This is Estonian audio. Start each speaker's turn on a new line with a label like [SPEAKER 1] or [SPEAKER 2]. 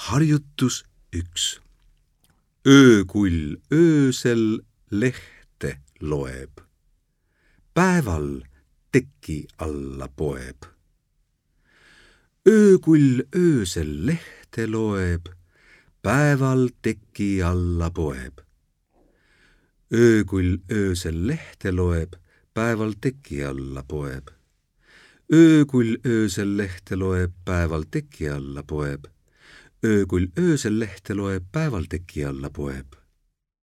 [SPEAKER 1] Harjutus 1. Öökull öösel lehte loeb. Päeval teki alla poeb. Öökull öösel lehte loeb. Päeval teki alla poeb. Öökull öösel lehte loeb. Päeval teki alla poeb. Öökull öösel lehte loeb. Päeval teki alla poeb. Öökull öösel lehte loeb, päeval teki alla poeb.